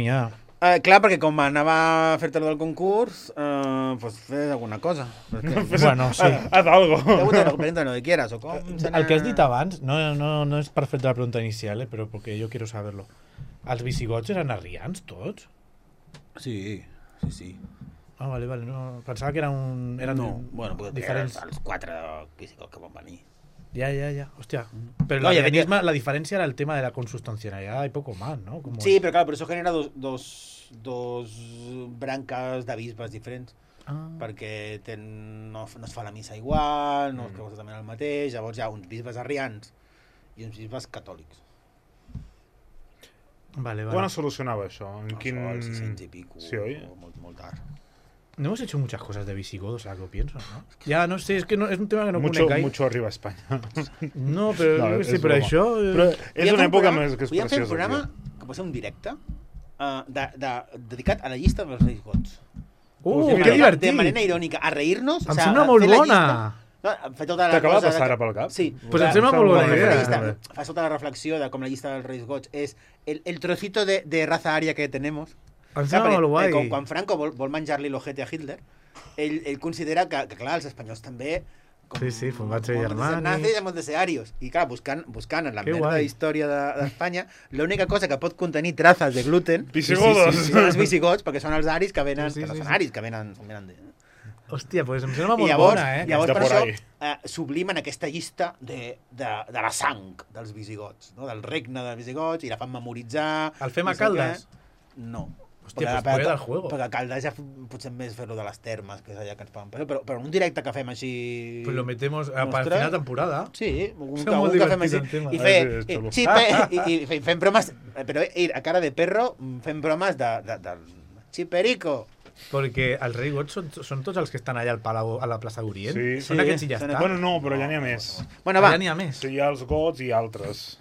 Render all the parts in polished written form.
n'hi ha. Clar, perquè com anava a fer-te del concurs, pues fes alguna cosa. Bueno, sí. Haz algo. Pregunta lo que quieras. O com El que has dit abans, no és per fer la pregunta inicial, però perquè jo quiero saberlo. Els visigots eren arrians, tots? Sí. Ah, vale, no, pensava que eren no, bueno, diferents. Els 4 visigots que van venir. Ya. Hostia. Pero no, la diferencia era el tema de la consustancialidad y poco más, ¿no? Sí, pero claro, por eso genera dos brancas de bisbes diferents. Perquè no es fa la missa igual, no es creu exactament el mateix, llavors hi ha uns bisbes arrians i uns bisbes catòlics. Vale. Quan es solucionava això? En quin... Als 600 i pico, sí, oi? Molt tard. No hemos hecho muchas cosas de visigodos, ahora que lo pienso, ¿no? Ya, no sé, es que no, es un tema que no conec gaire. Mucho arriba a Espanya. No, però no, sí, però això... Però és una època més que és preciosa. Podríem fer un programa, que pot ser un directe, dedicat a la llista dels Reis Gots. Que divertit! De manera irònica, a reir-nos. Em sembla molt bona! T'acaba de passar ara pel cap? Sí. Pues em sembla molt bona idea. Fas tota la reflexió de com la llista dels Reis Gots és el trocito de raza ària que tenemos. Quan Franco vol menjar-li l'ojete a Hitler, ell considera que clar, els espanyols també sí, fumats i germans nazis hemos de ser arios, i clar, buscant en la merda història d'Espanya l'única cosa que pot contenir trazas de gluten són els visigots, perquè són els aris que venen, que no són aris, que venen de... Hòstia, pues em sembla molt bona, Llavors per això sublimen aquesta llista de la sang dels visigots, no? Del regne dels visigots, i la fan memoritzar. El fem a Caldes? No. Hòstia, pues puede del juego. Perquè a Caldes ja potser més fer-lo de les termes, que és allà que ens pagan. Però un directe que fem així... Pues lo metemos al final de temporada. Sí, un que fem així. I fem bromes, però a cara de perro, fem bromes del xiperico. Perquè els Reis Gots són tots els que estan allà al Palau, a la plaça d'Orient? Sí. Són aquests i ja està? Bueno, no, però ja n'hi ha més. Bueno, va. Ja n'hi ha més? Sí, hi ha els Gots i altres.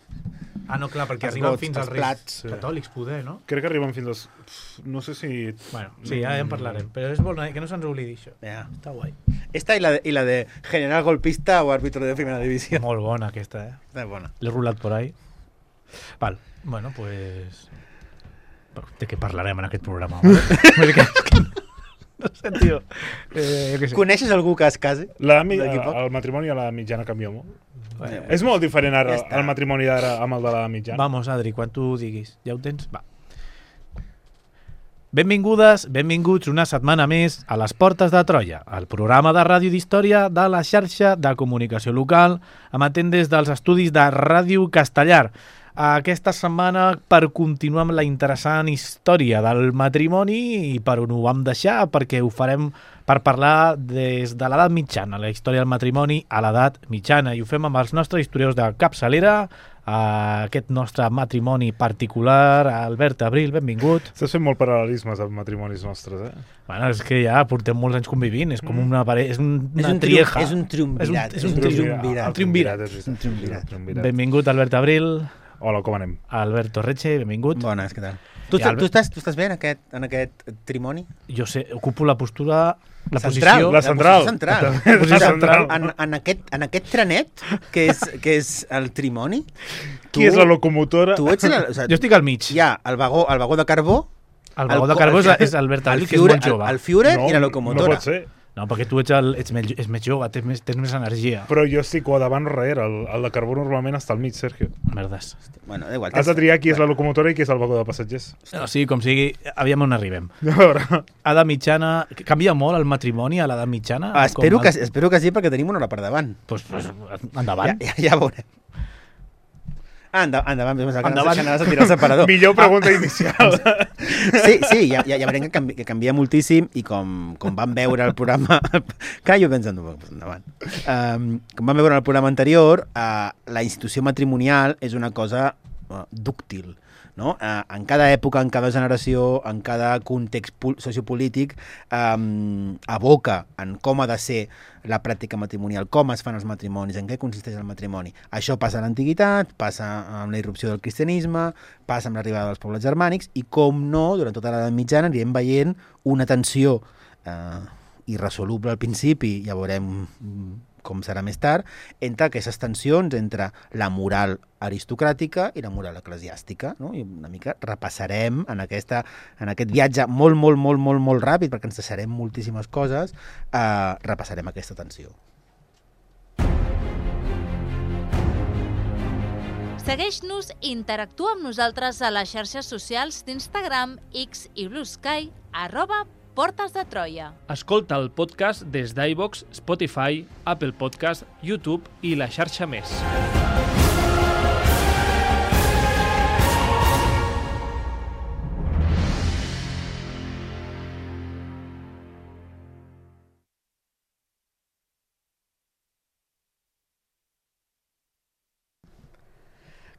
Ah, no, clar, perquè arriben fins als Reis catòlics, poder, no? Crec que arriben fins als... No sé si... Bueno, sí, ja en parlarem. Però és bona, que no se'ns oblidi això. Està guai. Esta i la de general golpista o árbitro de primera divisió. Molt bona, aquesta, Està bona. L'he rulat por ahí. Val, bueno, pues... De què parlarem en aquest programa? No sé, tio. Coneixes algú que es casi? El matrimoni a la mitjana canvia molt. És molt diferent ara el matrimoni d'ara amb el de la mitjana. Vamos, Adri, quan tu diguis. Ja ho tens? Va. Benvingudes, benvinguts una setmana més a Les Portes de Troia, el programa de ràdio d'història de la xarxa de comunicació local, emetent des dels estudis de Ràdio Castellar. Aquesta setmana per continuar amb la interessant història del matrimoni i per on ho vam deixar, perquè ho farem per parlar des de l'edat mitjana, la història del matrimoni a l'edat mitjana, i ho fem amb els nostres historiadors de capçalera, aquest nostre matrimoni particular, Albert Abril, benvingut. Estàs fent molt paral·lelismes amb matrimonis nostres, Bueno, és que ja portem molts anys convivint, és com una parella, és una trieja. És un triumvirat. És un triumvirat. Benvingut, Albert Abril. Hola, com anem? Alberto Reche, benvingut. Bones, què tal? Tu estàs bé en aquest trimoni? Jo sé, ocupo la postura... La central, posició central. En aquest trenet, que és el trimoni... Qui és la locomotora? Jo estic al mig. Hi ha el vagó de carbó... El vagó de carbó és Albert Abril, que és molt jove. El Führer i la locomotora. No pot ser. No, perquè tu ets més jove, tens més energia. Però jo estic o davant o darrere. El de carbó normalment està al mig, Sergio. Merdes. Bueno, igual. Has de triar qui és la locomotora i qui és el vagó de passatgers. No, sí, com sigui, aviam on arribem. A veure. Edat mitjana... Canvia molt el matrimoni a l'edat mitjana? Espero que sí, perquè tenim una hora per davant. Pues endavant. Ja veurem. Endavant. Anaves a tirar el separador. Millor pregunta inicial. Sí, ja veurem que canvia moltíssim i com vam veure el programa... Clar, jo pensant, endavant. Com vam veure el programa anterior, la institució matrimonial és una cosa dúctil. No? En cada època, en cada generació, en cada context sociopolític, aboca en com ha de ser la pràctica matrimonial, com es fan els matrimonis, en què consisteix el matrimoni. Això passa a l'antiguitat, passa amb la irrupció del cristianisme, passa amb l'arribada dels pobles germànics i, com no, durant tota l'edat mitjana anirem veient una tensió irresoluble al principi, ja veurem com serà més tard, entre aquestes tensions entre la moral aristocràtica i la moral eclesiàstica, no? I una mica repassarem en aquest viatge molt ràpid, perquè ens deixarem moltíssimes coses, repassarem aquesta tensió. Segueix-nos i interactua amb nosaltres a les xarxes socials d'Instagram, X i Blue Sky, @Portes de Troia. Escolta el podcast des d'iVoox, Spotify, Apple Podcast, YouTube i la xarxa més.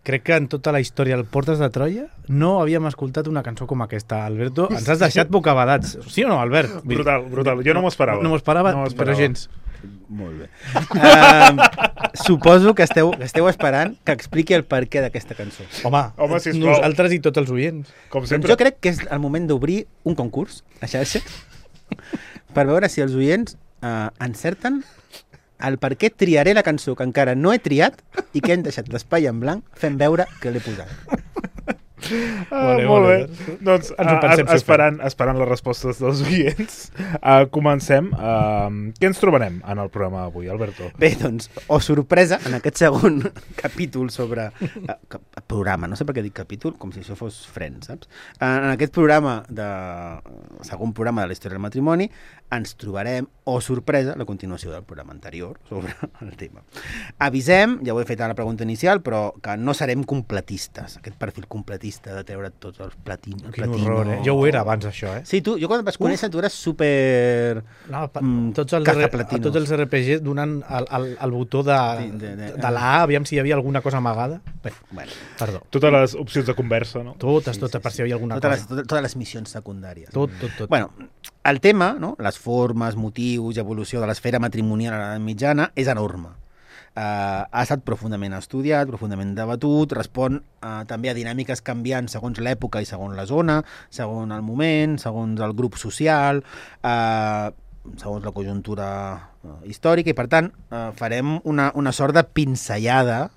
Crec que en tota la història del Portes de Troia no havíem escoltat una cançó com aquesta. Alberto, ens has deixat bocabadats. Sí o no, Albert? Brutal. Jo no m'ho esperava. No m'ho esperava, però gens. Molt bé. Suposo que esteu esperant que expliqui el perquè d'aquesta cançó. Home, sisplau. Nosaltres i tots els oients. Com Doncs sempre. jo crec que és el moment d'obrir un concurs a xarxa per veure si els oients encerten el per què triaré la cançó que encara no he triat i que hem deixat l'espai en blanc fent veure que l'he posat. Molt bé. Doncs esperant les respostes dels oients, comencem. Què ens trobarem en el programa d'avui, Alberto? Bé, doncs, sorpresa, en aquest segon capítol sobre... programa, no sé per què dic capítol, com si això fos Friends, saps? En aquest programa, segon programa de la història del matrimoni, ens trobarem, sorpresa, la continuació del programa anterior sobre el tema. Avisem, ja ho he fet a la pregunta inicial, però que no serem completistes, aquest perfil completista de treure tots els platino. Quin horror, Jo ho era abans, això, Sí, jo quan et vas conèixer, tu eres super... Tots els RPG donant el botó de la A, aviam si hi havia alguna cosa amagada. Bueno, perdó. Totes les opcions de conversa, no? Totes, per si hi havia alguna cosa. Totes les missions secundàries. Tot. Bueno, el tema, no? Les formes, motius i evolució de l'esfera matrimonial a l'edat mitjana és enorme. Ha estat profundament estudiat, profundament debatut, respon també a dinàmiques canviants segons l'època i segons la zona, segons el moment, segons el grup social, segons la conjuntura històrica, i per tant farem una sort de pinzellada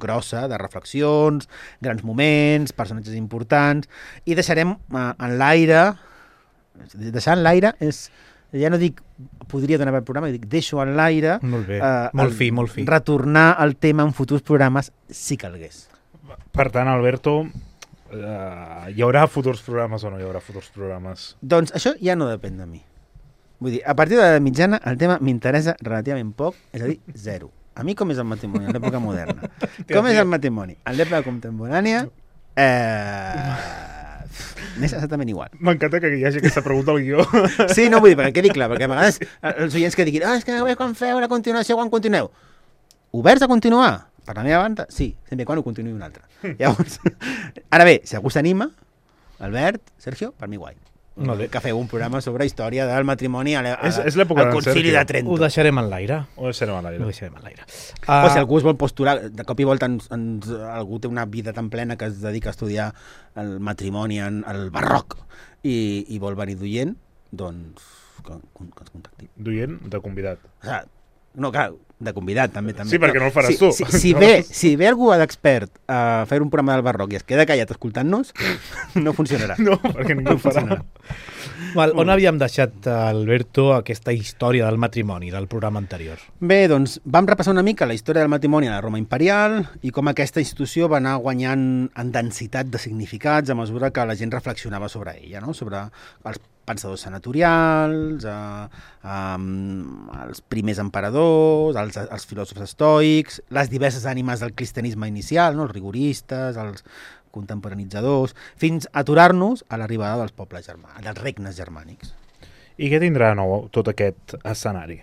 grossa de reflexions, grans moments, personatges importants, i deixarem en l'aire... Deixar en l'aire és... Ja no dic podria donar per programa, dic deixo en l'aire... Molt bé, molt fi. Retornar al tema en futurs programes, si calgués. Per tant, Alberto, hi haurà futurs programes o no hi haurà futurs programes? Doncs això ja no depèn de mi. Vull dir, a partir de la mitjana el tema m'interessa relativament poc, és a dir, zero. A mi com és el matrimoni en l'època moderna? Com és el matrimoni en l'època contemporània? M'és exactament igual. M'encanta que hi hagi aquesta pregunta al guió. Sí, no, vull dir, perquè quedi clar, perquè a vegades els oients que diguin és que no veig quan feu la continuació, quan continueu. Oberts a continuar? Per la meva banda, sí, sempre quan ho continuï un altre. Llavors, ara bé, si algú s'anima, Albert, Sergio, per mi guai. Que feu un programa sobre història del matrimoni al Concili de Trento. Ho deixarem en l'aire. Ho deixarem en l'aire. O si algú es vol postular, de cop i volta algú té una vida tan plena que es dedica a estudiar el matrimoni en el barroc i vol venir d'oient, doncs que ens contacti. D'oient, de convidat. No, clar, de convidat també. Sí, perquè no el faràs tu. Si ve algú d'expert a fer un programa del barroc i es queda callat escoltant-nos, no funcionarà. No, perquè ningú ho farà. On havíem deixat, Alberto, aquesta història del matrimoni del programa anterior? Bé, doncs vam repassar una mica la història del matrimoni a la Roma imperial i com aquesta institució va anar guanyant en densitat de significats a mesura que la gent reflexionava sobre ella, no? Sobre els pensadors senatorials, els primers emperadors, els filòsofs estoics, les diverses ànimes del cristianisme inicial, no? Els rigoristes, els contemporanitzadors, fins a aturar-nos a l'arribada dels pobles germànics, dels regnes germànics. I què tindrà de nou tot aquest escenari?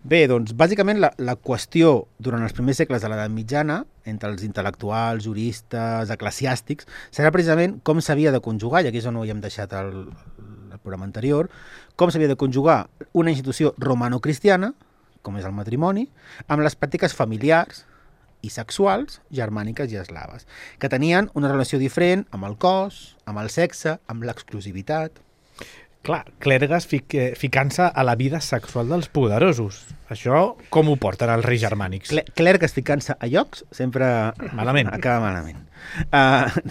Bé, doncs, bàsicament la qüestió durant els primers segles de l'edat mitjana, entre els intel·lectuals, juristes, eclesiàstics, serà precisament com s'havia de conjugar, i aquí és on ho havíem deixat el programa anterior, com s'havia de conjugar una institució romano-cristiana, com és el matrimoni, amb les pràctiques familiars i sexuals germàniques i eslaves, que tenien una relació diferent amb el cos, amb el sexe, amb l'exclusivitat. Clar, clergues ficant-se a la vida sexual dels poderosos. Això com ho porten els reis germànics? Clergues ficant-se a llocs sempre malament. Acaba malament.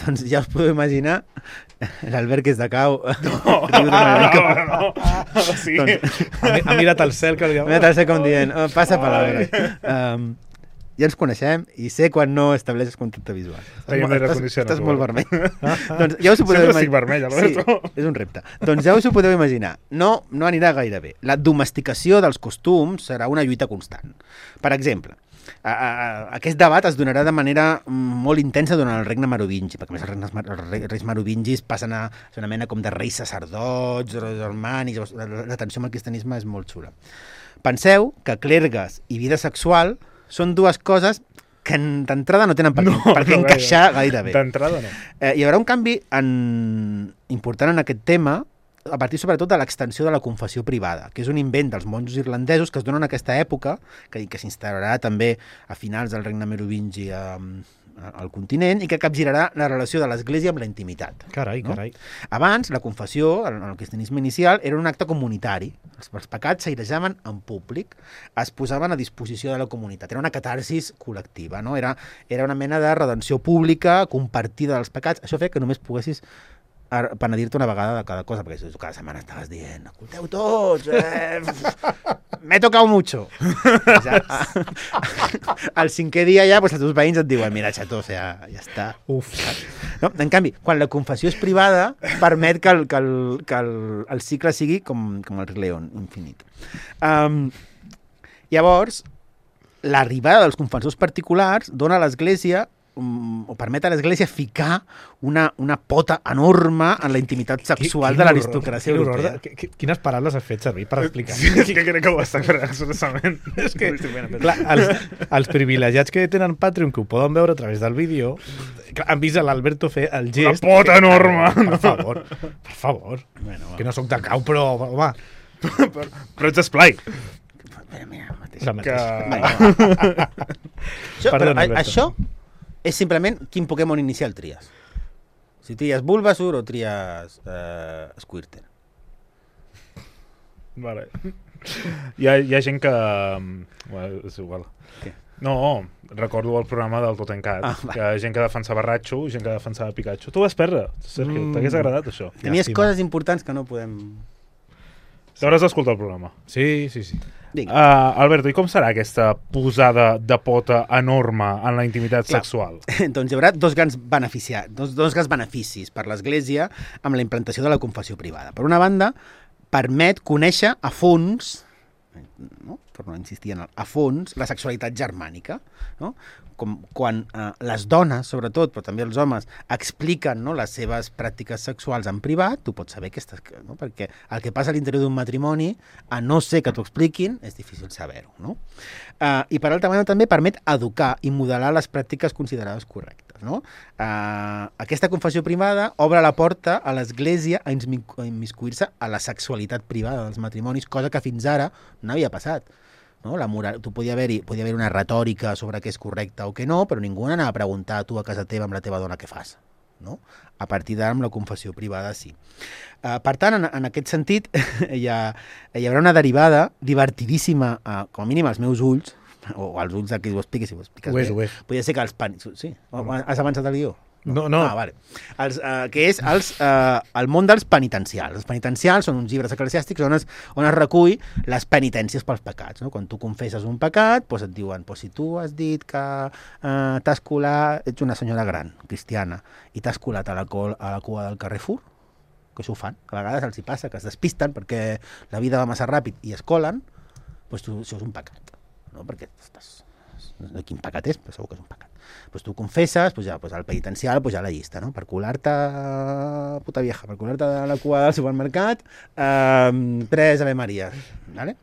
Doncs ja us podeu imaginar l'Albert que és de cau. No. Sí. Ha mirat al cel. Ha mirat al cel com dient, passa palabra. Ja ens coneixem i sé quan no estableixes contacte visual. Estàs molt vermell. Doncs ja us ho podeu Sempre estic vermell, Alberto. Sí, és un repte. Doncs ja us ho podeu imaginar. No anirà gaire bé. La domesticació dels costums serà una lluita constant. Per exemple, aquest debat es donarà de manera molt intensa durant el regne merovingi, perquè a més els reis merovingis passen a ser una mena com de reis sacerdots, germànics, la tensió amb el cristianisme és molt xula. Penseu que clergues i vida sexual són dues coses que d'entrada no tenen per què encaixar gaire bé. D'entrada no. Hi haurà un canvi important en aquest tema a partir sobretot de l'extensió de la confessió privada, que és un invent dels monjos irlandesos que es dona en aquesta època, que s'instal·larà també a finals del regne merovingi al continent i que capgirarà la relació de l'Església amb la intimitat. Carai. Abans, la confessió, en el cristianisme inicial, era un acte comunitari. Els pecats s'airejaven en públic, es posaven a disposició de la comunitat. Era una catarsis col·lectiva, no? Era una mena de redenció pública, compartida dels pecats. Això feia que només poguessis penedir-te una vegada de cada cosa, perquè cada setmana estaves dient, escolteu tots, m'he tocado mucho. Al cinquè dia ja, els teus veïns et diuen, mira, xató, ja està. Uf. No? En canvi, quan la confessió és privada, permet que el cicle sigui com el Rei León, infinit. Llavors, l'arribada dels confessors particulars dona a l'Església o permet a l'Església ficar una pota enorme en la intimitat sexual de l'aristocràcia europea. Quines paraules has fet servir per explicar? Sí, és que crec que ho està fent expressament. És que, clar, els privilegiats que tenen Patreon, que ho poden veure a través del vídeo, han vist l'Alberto fer el gest... Una pota enorme! Per favor. Bueno, que no sóc de cau, però, home... Però ets esplai. Mira, això és simplement quin Pokémon inicial tries. Si tries Bulbasaur o tries Squirtle. Vale. Hi ha gent que... Bueno, és igual. Què? No, recordo el programa del Totencat, que gent que defensava Ratxo, gent que defensava Pikachu. Tu vas perdre, Sergio, t'hagués agradat això. Tenies coses importants que no podem... T'hauràs d'escoltar el programa. Sí. Alberto, i com serà aquesta posada de pota enorme en la intimitat sexual? Doncs hi haurà dos grans beneficis per l'Església amb la implantació de la confessió privada. Per una banda, permet conèixer a fons, no? Per no insistir en a fons, la sexualitat germànica, no? Com quan les dones, sobretot, però també els homes, expliquen, no, les seves pràctiques sexuals en privat, tu pots saber no? Perquè el que passa a l'interior d'un matrimoni, a no ser que t'ho expliquin, és difícil saber-ho, no? I per altra banda també permet educar i modelar les pràctiques considerades correctes, no? Aquesta confessió privada obre la porta a l'Església a immiscuir-se a la sexualitat privada dels matrimonis, cosa que fins ara no havia passat. No? La moral, podia haver-hi una retòrica sobre què és correcte o què no, però ningú anava a preguntar a tu a casa teva amb la teva dona què fas. No? A partir d'ara, amb la confessió privada, sí. Per tant, en aquest sentit, hi haurà una derivada divertidíssima, com a mínim als meus ulls, o als ulls de qui ho expliqui, si ho expliques bé. Podria ser que els Sí? Has avançat el guió? No. Vale. Que és el món dels penitencials. Els penitencials són uns llibres eclesiàstics on es recull les penitències pels pecats. No? Quan tu confesses un pecat, doncs et diuen si tu has dit que t'has colat, ets una senyora gran, cristiana, i t'has colat a la cua del Carrefour, que això ho fan, a vegades els hi passa, que es despisten perquè la vida va massa ràpid i es colen, doncs això és un pecat. No? Perquè no sé quin pecat és, però segur que és un pecat. Doncs tu confesses, al penitencial hi ha la llista, no? Per colar-te, puta vieja, per colar-te a la cua del supermercat, 3 Ave Maria. Vale?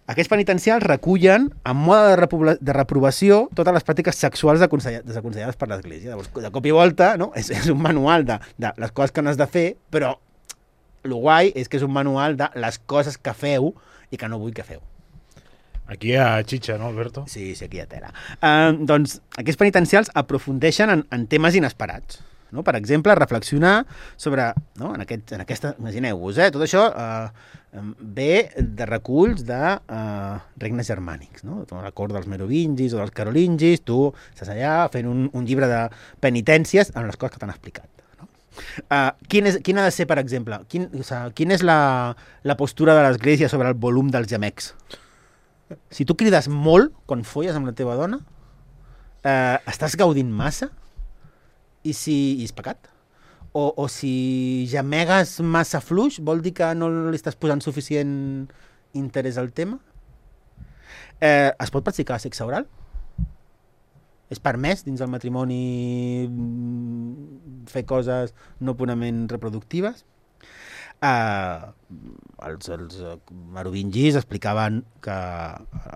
Aquests penitencials recullen, en mode de reprovació, totes les pràctiques sexuals desaconsellades per l'Església. Llavors, de cop i volta, no? És un manual de les coses que no has de fer, però el guai és que és un manual de les coses que feu i que no vull que feu. Aquí hi ha xitxa, no, Alberto? Sí, aquí hi ha tela. Doncs aquests penitencials aprofundeixen en temes inesperats. no? Per exemple, reflexionar sobre, no? en aquesta, imagineu-vos, tot això ve de reculls de regnes germànics, no? La cort dels merovingis o dels carolingis, tu estàs allà fent un llibre de penitències en les coses que t'han explicat. No? Quin ha de ser, per exemple, quina és la postura de l'Església sobre el volum dels gemecs? Si tu crides molt quan folles amb la teva dona, estàs gaudint massa? I és pecat? O si gemegues massa fluix, vol dir que no li estàs posant suficient interès al tema? Es pot practicar sexe oral? És permès dins del matrimoni fer coses no purament reproductives? Els merovingis explicaven que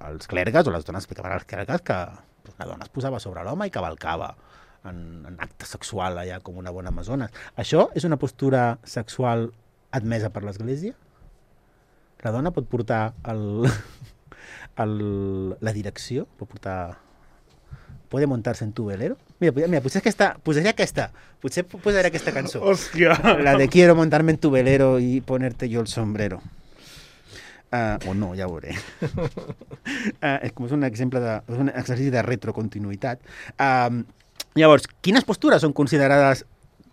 els clergues, o les dones explicaven als clergues que la dona es posava sobre l'home i cavalcava en acte sexual allà com una bona amazones. Això és una postura sexual admesa per l'Església? La dona pot portar la direcció? Pot portar... Puede montarse en tu velero? Mira, posaré aquesta cançó. Hòstia! La de quiero montarme en tu velero y ponerte yo el sombrero. O no, ja ho veuré. És un exemple és un exercici de retrocontinuïtat. Llavors, quines postures són considerades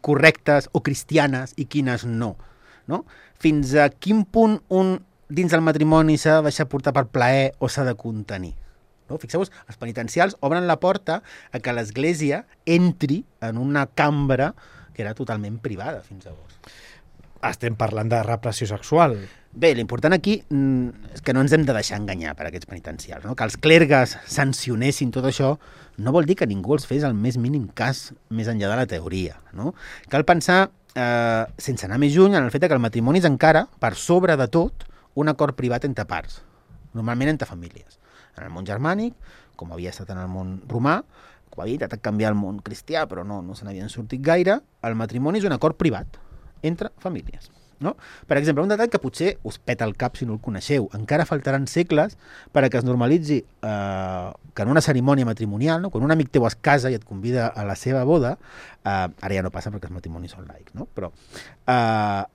correctes o cristianes i quines no? Fins a quin punt un dins del matrimoni s'ha de deixar portar per plaer o s'ha de contenir? Fixeu-vos, els penitencials obren la porta a que l'Església entri en una cambra que era totalment privada fins llavors. Estem parlant de repressió sexual. Bé, l'important aquí és que no ens hem de deixar enganyar per aquests penitencials. No? Que els clergues sancionessin tot això no vol dir que ningú els fes el més mínim cas més enllà de la teoria. No? Cal pensar, sense anar més lluny, en el fet que el matrimoni és encara, per sobre de tot, un acord privat entre parts, normalment entre famílies. En el món germànic, com havia estat en el món romà, com havia intentat canviar el món cristià, però no se n'havien sortit gaire, el matrimoni és un acord privat entre famílies. No? Per exemple, un detall que potser us peta el cap si no el coneixeu. Encara faltaran segles perquè es normalitzi que en una cerimònia matrimonial, no? Quan un amic teu es casa i et convida a la seva boda, ara ja no passa perquè els matrimonis són laics, no? Però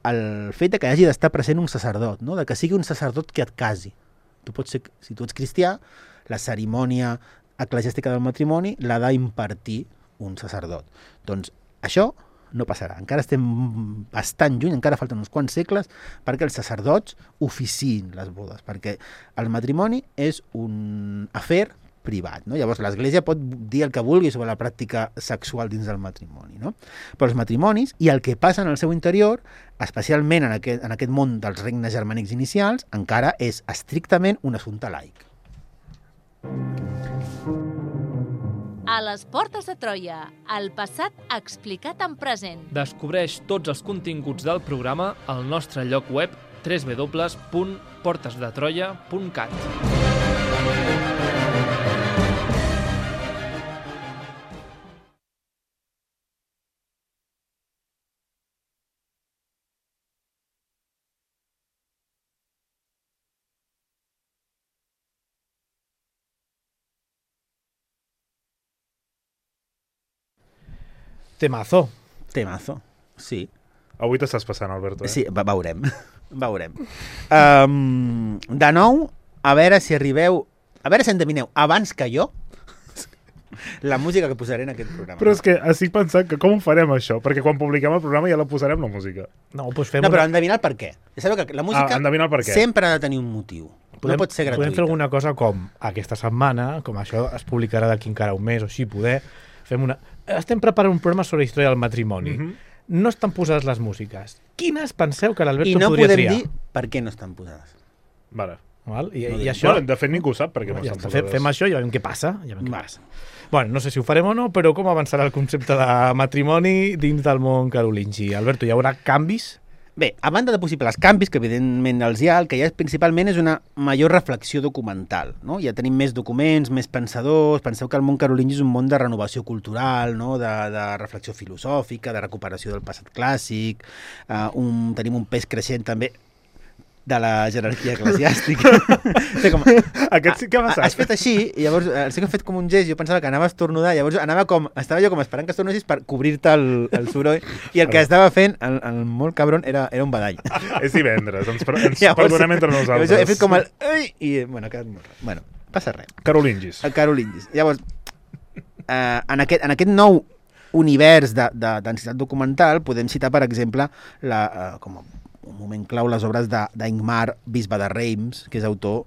el fet que hagi d'estar present un sacerdot, no? De que sigui un sacerdot que et casi. Tu pots ser, si tu ets cristià, la cerimònia eclesiàstica del matrimoni l'ha d'impartir un sacerdot. Doncs això no passarà. Encara estem bastant lluny, encara falten uns quants segles perquè els sacerdots oficiïn les bodes, perquè el matrimoni és un afer privat, no? Llavors l'Església pot dir el que vulgui sobre la pràctica sexual dins del matrimoni, no? Però els matrimonis i el que passa en el seu interior, especialment en aquest món dels regnes germànics inicials, encara és estrictament un assumpte laic. A les portes de Troia, el passat explicat en present. Descobreix tots els continguts del programa al nostre lloc web www.portesdetroia.cat. Temazo. Temazo, sí. Avui t'estàs passant, Alberto. Sí, veurem. De nou, a veure si endevineu abans que jo la música que posaré en aquest programa. Però és que estic pensant que com ho farem això? Perquè quan publiquem el programa ja la posarem, la música. Però endevinar el per què. Ja sabeu que la música sempre ha de tenir un motiu. No pot ser gratuïta. Podem fer alguna cosa com aquesta setmana, com això es publicarà d'aquí encara un mes o així, estem preparant un programa sobre història del matrimoni. No estan posades les músiques. Quines penseu que l'Alberto podria triar? I no podem dir per què no estan posades. Vale. I això... De fet, ningú sap per què no estan posades. Fem això i ja veiem què passa. Bueno, no sé si ho farem o no, però com avançarà el concepte de matrimoni dins del món carolingi? Alberto, hi haurà canvis? Bé, a banda de possibles canvis, que evidentment els hi ha, el que hi ha principalment és una major reflexió documental, no? Ja tenim més documents, més pensadors, penseu que el món carolingi és un món de renovació cultural, no? de reflexió filosòfica, de recuperació del passat clàssic, tenim un pes creixent també de la jerarquia eclesiàstica. Com, Aquest sí que ha passat. Has fet així, i llavors sí que he fet com un gest, jo pensava que anava a estornudar, llavors estava jo com esperant que estornudessis per cobrir-te el soroll, i el que estava fent, el molt cabron, era un badall. És divendres, ens perdonem entre nosaltres. He fet com el... I, bueno, ha quedat molt rar. Bueno, passa res. Carolingis. El Carolingis. Llavors, en aquest nou univers d'ensinitat documental podem citar, per exemple, com un moment clau, les obres d'Ingmar, bisbe de Reims, que és autor,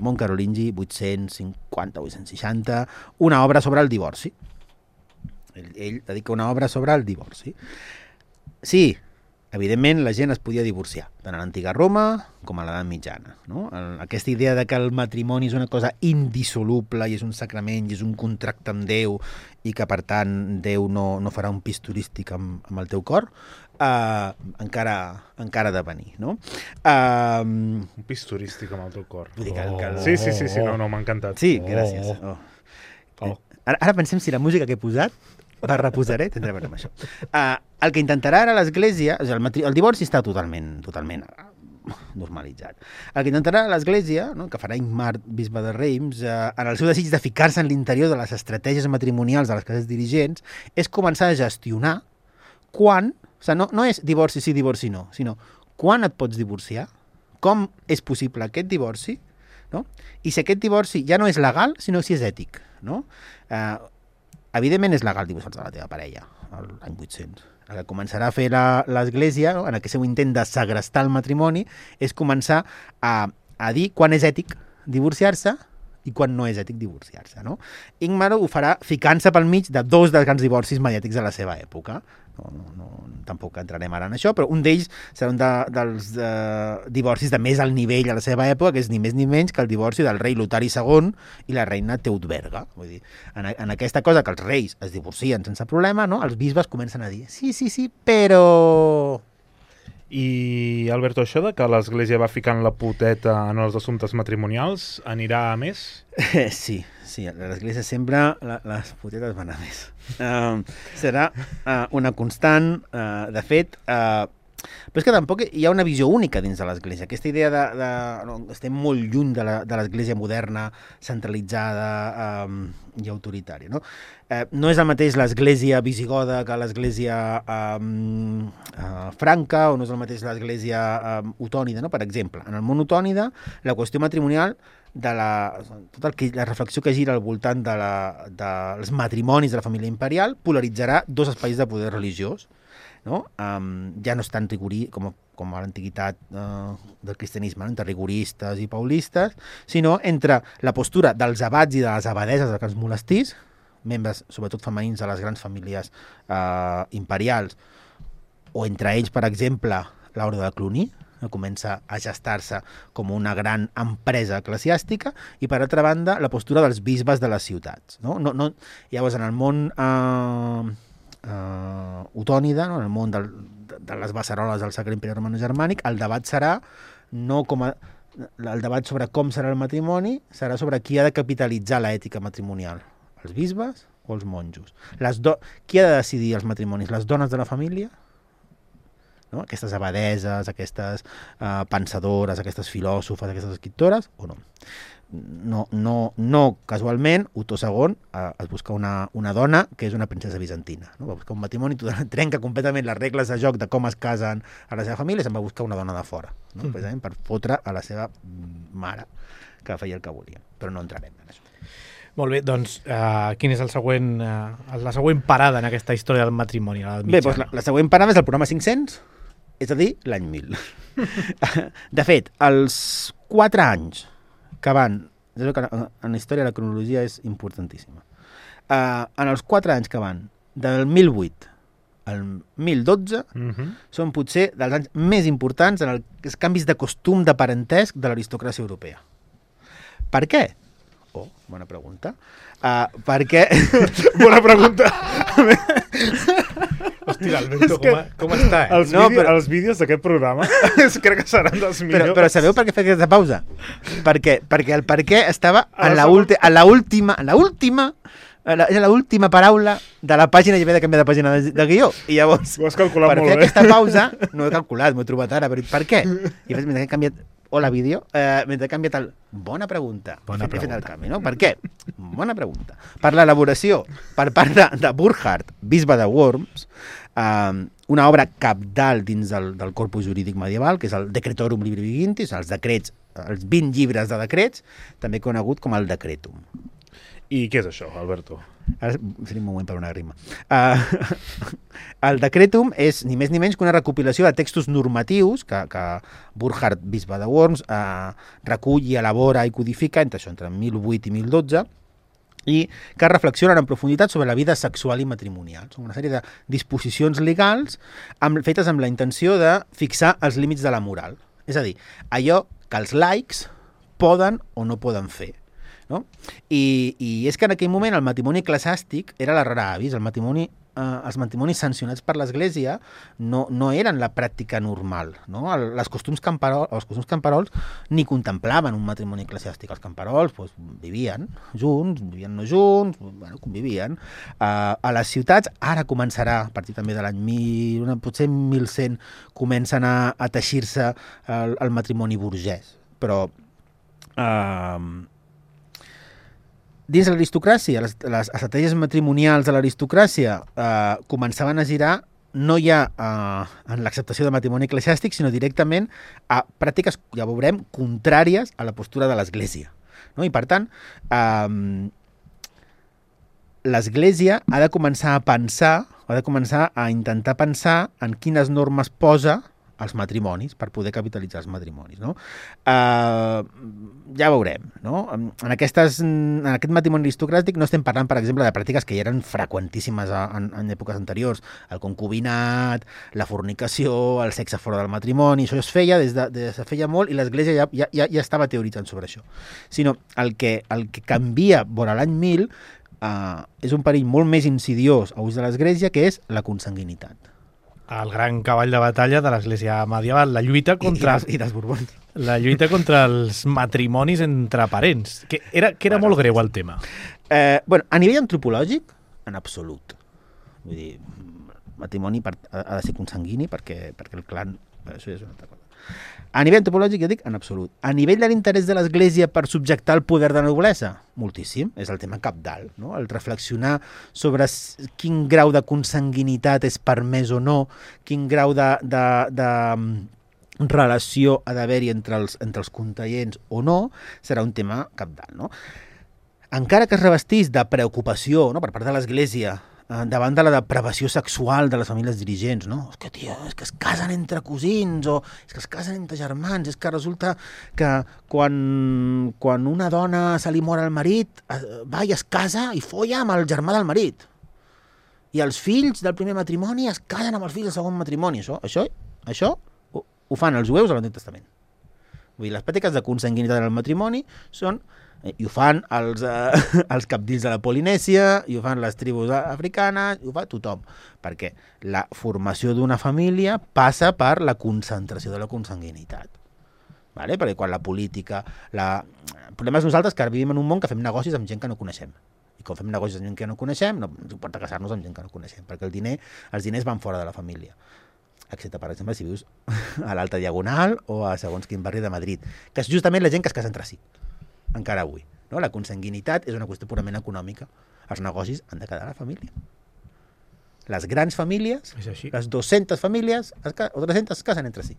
Mont Carolingi, 850-860, una obra sobre el divorci. Ell dedica una obra sobre el divorci. Sí, evidentment la gent es podia divorciar, tant a l'antiga Roma com a l'edat mitjana. No? Aquesta idea de que el matrimoni és una cosa indissoluble i és un sacrament i és un contracte amb Déu i que, per tant, Déu no farà un pis turístic amb el teu cor, encara ha de venir, no? Un pis turístic amb el teu cor. Vull dir Sí, no, m'ha encantat. Sí, gràcies. Ara pensem si la música que he posat la reposaré, tindré a veure amb això. El que intentarà ara l'Església, el divorci està totalment normalitzat. El que intentarà l'Església, no, que farà Ingmar, bisbe de Reims, en el seu desig de ficar-se en l'interior de les estratègies matrimonials de les classes dirigents, és començar a gestionar quan, o sigui, no és divorci sí, divorci no, sinó quan et pots divorciar, com és possible aquest divorci, no? I si aquest divorci ja no és legal, sinó si és ètic, no? Evidentment és legal divorciar-te de la teva parella, l'any 800. El que començarà a fer l'Església, no? En aquest seu intent de segrestar el matrimoni, és començar a dir quan és ètic divorciar-se i quan no és ètic divorciar-se, no? Ingmar ho farà ficant-se pel mig de dos dels grans divorcis mediàtics de la seva època. Tampoc entrarem ara en això, però un d'ells serà un dels divorcis de més alt nivell a la seva època, que és ni més ni menys que el divorci del rei Lotari II i la reina Teutberga. Vull dir, en aquesta cosa que els reis es divorcien sense problema, no? Els bisbes comencen a dir sí, però... I, Alberto, això de que l'Església va ficant la puteta en els assumptes matrimonials anirà a més? Sí, l'Església sempre les putetes van a més. Serà una constant, de fet, però és que tampoc hi ha una visió única dins de l'Església. Aquesta idea estem molt lluny de l'Església moderna, centralitzada i autoritària, no? No és el mateix l'Església visigoda que l'Església franca, o no és el mateix l'Església otònida, no? Per exemple, en el món otònida, la qüestió matrimonial, la reflexió que gira al voltant dels matrimonis de la família imperial polaritzarà dos espais de poder religiós, no? Ja no és tan rigorí com a l'antiguitat del cristianisme, entre rigoristes i paulistes, sinó entre la postura dels abats i de les abadeses dels grans monestirs, membres sobretot femenins de les grans famílies imperials, o entre ells, per exemple, l'Orde de Cluny, que comença a gestar-se com una gran empresa eclesiàstica, i per altra banda la postura dels bisbes de les ciutats. Llavors, en el món otònida, en el món de les beceroles del Sacre Imperi Romano-Germànic, el debat serà el debat sobre com serà el matrimoni serà sobre qui ha de capitalitzar l'ètica matrimonial, els bisbes o els monjos. Qui ha de decidir els matrimonis? Les dones de la família? No? Aquestes abadeses, aquestes pensadores, aquestes filòsofes, aquestes escriptores, o no? No casualment, Otó II es busca una dona que és una princesa bizantina, no? Va buscar un matrimoni, trenca completament les regles de joc de com es casen a la seva família, se'n va buscar una dona de fora, no? Precisament per fotre a la seva mare, que feia el que volia, però no entrarem en això. Molt bé, doncs quina és la següent parada en aquesta història del matrimoni a l'edat mitjana? Bé, doncs la següent parada és el programa 500, és a dir, l'any 1000. De fet, els 4 anys que van... En la història la cronologia és importantíssima. En els 4 anys que van del 1008 al 1012 són potser dels anys més importants en els canvis de costum de parentesc de l'aristocràcia europea. Per què? Bona pregunta. Per què? Bona pregunta. Hòstia, Alberto, com està? Els vídeos d'aquest programa crec que seran dels millors. Però sabeu per què fer aquesta pausa? Perquè el per què estava en l'última Era l'última paraula de la pàgina i havia de canviar de pàgina de guió. I llavors, Ho has calculat per molt fer bé. aquesta pausa, no ho he calculat, m'ho he trobat ara, però per què? I llavors, mentre he canviat hola vídeo, mentre he canviat el bona pregunta. Bona He fet el pregunta. canvi, no? Per què? Bona pregunta. Per l'elaboració, per part de Burckhardt, bisbe de Worms, una obra cabdal dins del corpus jurídic medieval, que és el Decretorum Libri Vigintis, els decrets, els 20 llibres de decrets, també conegut com el Decretum. I què és això, Alberto? Ara seria un moment per una rima. El Decretum és ni més ni menys que una recopilació de textos normatius que Burckhardt, bisbe de Worms, recull i elabora i codifica entre 1008 i 1012, i que reflexionen en profunditat sobre la vida sexual i matrimonial. Són una sèrie de disposicions legals fetes amb la intenció de fixar els límits de la moral. És a dir, allò que els laics poden o no poden fer. No? I és que en aquell moment el matrimoni eclesiàstic era la rara avis. Els matrimonis sancionats per l'Església no eren la pràctica normal. No? Els costums camperols ni contemplaven un matrimoni eclesiàstic. Els camperols vivien junts, vivien no junts, convivien. A les ciutats, ara començarà, a partir també de l'any potser 1100, comencen a teixir-se el matrimoni burgès. Però dins l'aristocràcia, les estratègies matrimonials de l'aristocràcia començaven a girar no ja en l'acceptació de matrimoni eclesiàstic, sinó directament a pràctiques, ja veurem, contràries a la postura de l'Església. No? I per tant, l'Església ha de començar a intentar pensar en quines normes posa als matrimonis, per poder capitalitzar els matrimonis. No? Ja veurem. No? En aquest matrimoni aristocràtic no estem parlant, per exemple, de pràctiques que ja eren freqüentíssimes en èpoques anteriors. El concubinat, la fornicació, el sexe fora del matrimoni, això es feia des de feia molt i l'Església ja estava teoritzant sobre això. Sinó el que canvia vora l'any 1000 és un perill molt més insidiós a ús de l'Església, que és la consanguinitat. El gran cavall de batalla de l'Església medieval, la lluita contra... I dels Borbons. La lluita contra els matrimonis entre parents, que era molt greu el tema. A nivell antropològic, en absolut. Vull dir, matrimoni ha de ser consanguini perquè el clan... Això és una altra cosa. A nivell antropològic, jo dic, en absolut. A nivell de l'interès de l'Església per subjectar el poder de la noblesa, moltíssim. És el tema cabdal, no? El reflexionar sobre quin grau de consanguinitat és permès o no, quin grau de relació ha d'haver-hi entre els conteients o no, serà un tema cabdal, no? Encara que es revestís de preocupació, no?, per part de l'Església davant de la depravació sexual de les famílies dirigents, no? És que, tio, és que es casen entre cosins, o és que es casen entre germans, és que resulta que quan una dona se li mor el marit, va i es casa i folla amb el germà del marit. I els fills del primer matrimoni es casen amb els fills del segon matrimoni. Això ho fan els jueus a l'Antic Testament. Vull dir, les pràctiques de consanguinitat en el matrimoni són... I ho fan els cabdills de la Polinèsia, i ho fan les tribus africanes, i ho fa tothom. Perquè la formació d'una família passa per la concentració de la consanguinitat. Vale? Perquè quan la política... El problema és nosaltres que vivim en un món que fem negocis amb gent que no coneixem. I quan fem negocis amb gent que no coneixem, no ens importa casar-nos amb gent que no coneixem, perquè els diners van fora de la família. Excepte, per exemple, si vius a l'Alta Diagonal o a segons quin barri de Madrid, que és justament la gent que es casa entre si. Encara avui. No? La consanguinitat és una qüestió purament econòmica. Els negocis han de quedar a la família. Les grans famílies, les 200 famílies o 300 es casen entre si.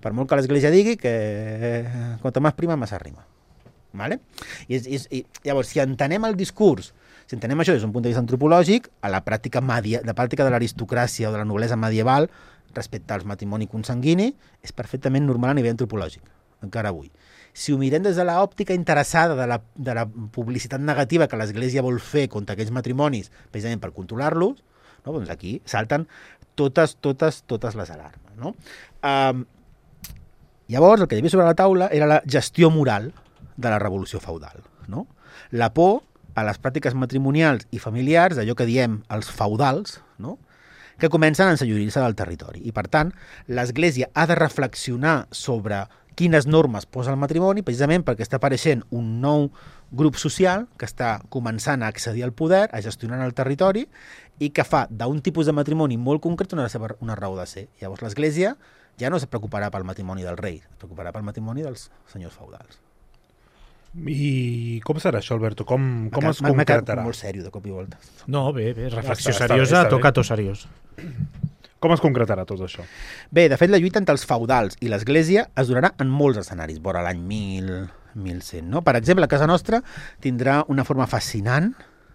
Per molt que l'Església digui que quanto más prima, más arrima. Vale? I llavors, si entenem el discurs, si entenem això des d'un punt de vista antropològic, a la pràctica de l'aristocràcia o de la noblesa medieval respecte als matrimoni consanguini és perfectament normal a nivell antropològic, encara avui. Si ho mirem des de l'òptica interessada de la publicitat negativa que l'Església vol fer contra aquells matrimonis, precisament per controlar-los, no? Doncs aquí salten totes les alarmes. No? Llavors, el que hi havia sobre la taula era la gestió moral de la revolució feudal. No? La por a les pràctiques matrimonials i familiars, d'allò que diem els feudals, no? Que comencen a ensenyorir-se del territori. I, per tant, l'Església ha de reflexionar sobre quines normes posa el matrimoni, precisament perquè està apareixent un nou grup social que està començant a accedir al poder, a gestionar el territori, i que fa d'un tipus de matrimoni molt concret una raó de ser. Llavors l'Església ja no es preocuparà pel matrimoni del rei, es preocuparà pel matrimoni dels senyors feudals. I com serà això, Alberto? Com es concretarà? M'ha quedat molt sèrio de cop i volta. No, bé, reflexió seriosa, toca tot seriós. Com es concretarà tot això? Bé, de fet, la lluita entre els feudals i l'Església es donarà en molts escenaris, vora l'any 1100. No? Per exemple, a casa nostra tindrà una forma fascinant,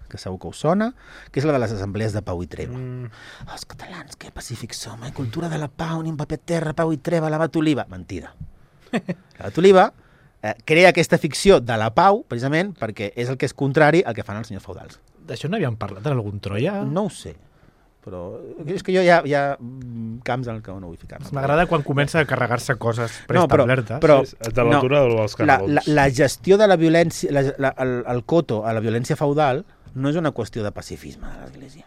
que segur que us sona, que és la de les assemblees de pau i treva. Els catalans, que pacífics som, cultura de la pau, ni un paper terra, pau i treva, l'abat Oliva. Mentida. L'abat Oliva crea aquesta ficció de la pau, precisament, perquè és el que és contrari al que fan els senyors feudals. D'això n'havíem parlat en algun Troia? No ho sé, però és que jo hi ha camps en què no vull ficar. M'agrada quan comença a carregar-se coses preestablertes. Però de l'altura dels canelons. La gestió de la violència, el coto a la violència feudal no és una qüestió de pacifisme de l'Església.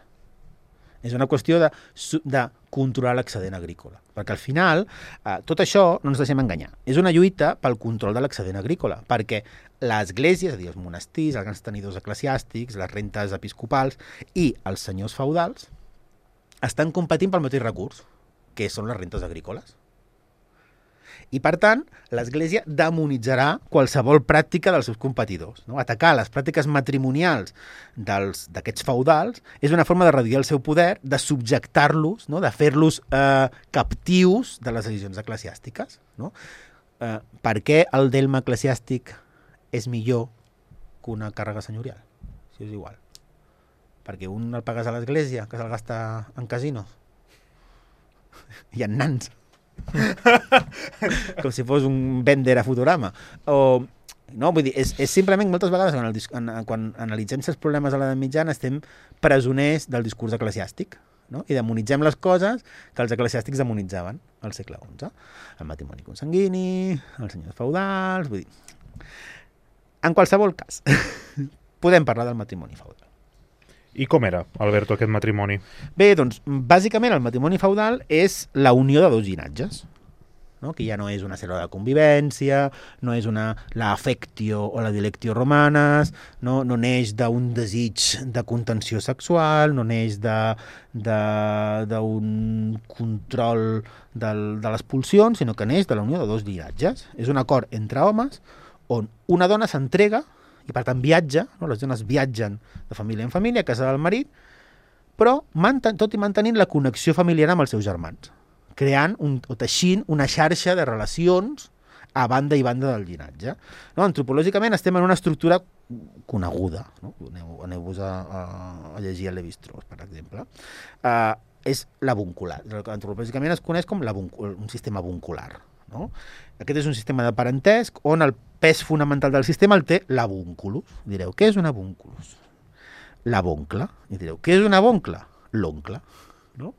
És una qüestió de controlar l'excedent agrícola. Perquè al final, tot això no ens deixem enganyar. És una lluita pel control de l'excedent agrícola, perquè l'Església, és a dir, els monestirs, els grans tenidors eclesiàstics, les rentes episcopals i els senyors feudals estan competint pel mateix recurs, que són les rentes agrícoles. I, per tant, l'Església demonitzarà qualsevol pràctica dels seus competidors. No? Atacar les pràctiques matrimonials d'aquests feudals és una forma de reduir el seu poder, de subjectar-los, no? De fer-los captius de les decisions eclesiàstiques. No? Per què el delme eclesiàstic és millor que una càrrega senyorial? Si és igual. Perquè un el pagues a l'Església, que se'l gasta en casinos. I en nans. Com si fos un vender a Futurama. No, vull dir, és simplement moltes vegades quan analitzem els problemes a l'edat mitjana estem presoners del discurs eclesiàstic, no? I demonitzem les coses que els eclesiàstics demonitzaven al segle XI. El matrimoni consanguini, els senyors feudals... Vull dir, en qualsevol cas, podem parlar del matrimoni feudal. I com era, Alberto, aquest matrimoni? Bé, doncs, bàsicament el matrimoni feudal és la unió de dos llinatges, no? Que ja no és una cèl·lula de convivència, no és la affectio o la dilectio romanes, no neix d'un desig de contenció sexual, no neix d'un control de les pulsions, sinó que neix de la unió de dos llinatges. És un acord entre homes on una dona s'entrega i per tant viatja, no? Les dones viatgen de família en família a casa del marit, però tot i mantenint la connexió familiar amb els seus germans, creant o teixint una xarxa de relacions a banda i banda del llinatge. No? Antropològicament estem en una estructura coneguda, no? Aneu-vos a llegir a Lévi-Strauss, per exemple. És l'avuncular. Antropològicament es coneix com un sistema avuncular. No? Aquest és un sistema de parentesc on el pes fonamental del sistema el té l'avunculus. Direu, què és un avunculus? L'avoncle. I direu, què és un avoncle? L'oncle. No?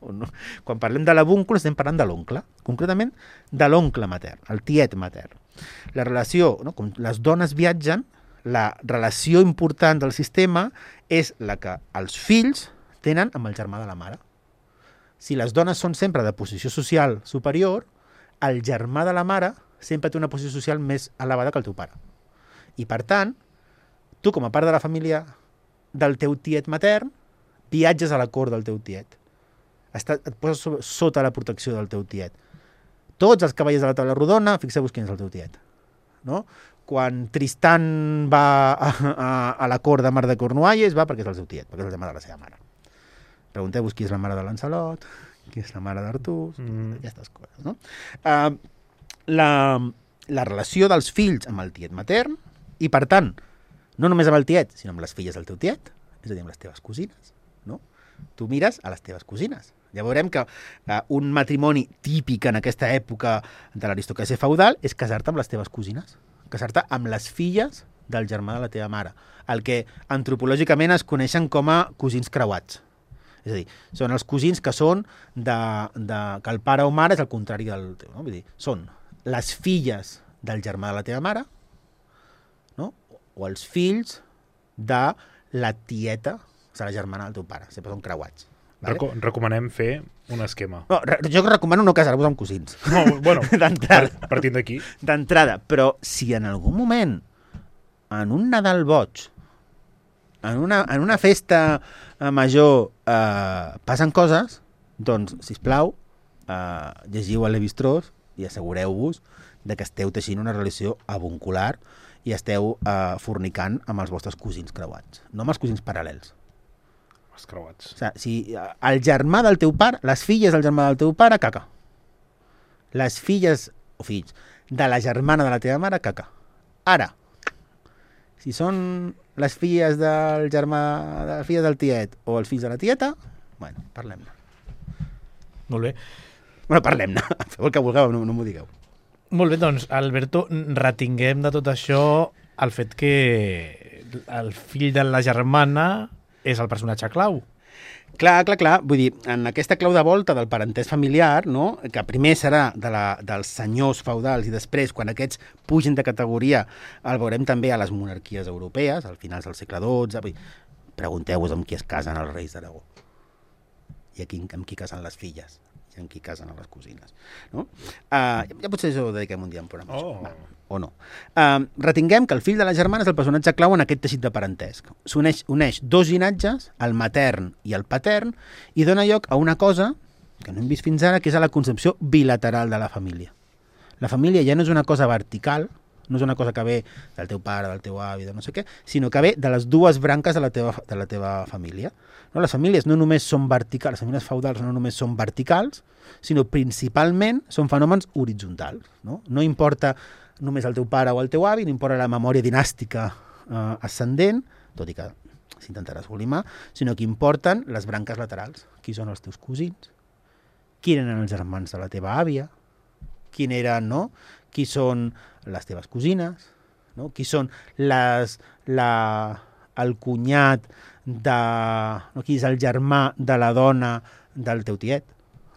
Quan parlem de l'avunculus estem parlant de l'oncle, concretament de l'oncle matern, el tiet matern. La relació, no? Com les dones viatgen, la relació important del sistema és la que els fills tenen amb el germà de la mare. Si les dones són sempre de posició social superior, el germà de la mare sempre té una posició social més elevada que el teu pare. I, per tant, tu, com a part de la família del teu tiet matern, viatges a la cort del teu tiet. Et poses sota la protecció del teu tiet. Tots els cavallers de la taula rodona, fixeu-vos quin és el teu tiet. No? Quan Tristan va a la cort de Mar de Cornualles, va perquè és el seu tiet, perquè és el germà de la seva mare. Pregunteu-vos qui és la mare de Lancelot, qui és la mare d'Artús, aquestes coses, no? La relació dels fills amb el tiet matern, i per tant, no només amb el tiet, sinó amb les filles del teu tiet, és a dir, amb les teves cosines, no? Tu mires a les teves cosines. Ja veurem que un matrimoni típic en aquesta època de l'aristocràcia feudal és casar-te amb les teves cosines, casar-te amb les filles del germà de la teva mare, el que antropològicament es coneixen com a cosins creuats. És a dir, són els cosins que són que el pare o mare és el contrari del teu, no? Vull dir, són les filles del germà de la teva mare, no? O els fills de la tieta, o sigui, la germana del teu pare, sempre són creuats. Vale? Recomanem fer un esquema. No, jo recomano no casar-vos amb cosins. No, bueno, partint d'aquí. D'entrada, però si en algun moment en un Nadal boig, en una festa major passen coses, doncs, sisplau, llegiu a Lévi-Strauss i assegureu-vos de que esteu teixint una relació avuncular i esteu fornicant amb els vostres cosins creuats, no amb els cosins paral·lels. Els creuats. O sigui, si el germà del teu pare, les filles del germà del teu pare, caca. Les filles o fills de la germana de la teva mare, caca. Ara, si són les filles del germà, les filles del tiet o els fills de la tieta, bueno, parlem-ne. Molt bé. Bueno, parlem-ne. Feu el que vulgueu, no m'ho digueu. Molt bé, doncs, Alberto, retinguem de tot això el fet que el fill de la germana és el personatge clau. Clar. Vull dir, en aquesta clau de volta del parentès familiar, no? Que primer serà dels senyors feudals i després, quan aquests pugin de categoria, el veurem també a les monarquies europees, al finals del segle XII. Pregunteu-vos amb qui es casen els reis d'Aragó. I amb qui casen les filles. I amb qui casen les cosines. No? Ja potser això ho dediquem un dia en programa. O no. Retinguem que el fill de la germana és el personatge clau en aquest teixit de parentesc. Uneix dos llinatges, el matern i el patern, i dona lloc a una cosa que no hem vist fins ara, que és a la concepció bilateral de la família. La família ja no és una cosa vertical, no és una cosa que ve del teu pare, del teu avi, de no sé què, sinó que ve de les dues branques de la teva família. No? Les famílies no només són verticals, les famílies feudals no només són verticals, sinó principalment són fenòmens horitzontals. No importa només el teu pare o el teu avi, no importa la memòria dinàstica ascendent, tot i que s'intentarà esgolimar, sinó que importen les branques laterals. Qui són els teus cosins? Qui eren els germans de la teva àvia? Qui eren, no? Qui són les teves cosines? No? Qui són el cunyat qui és el germà de la dona del teu tiet?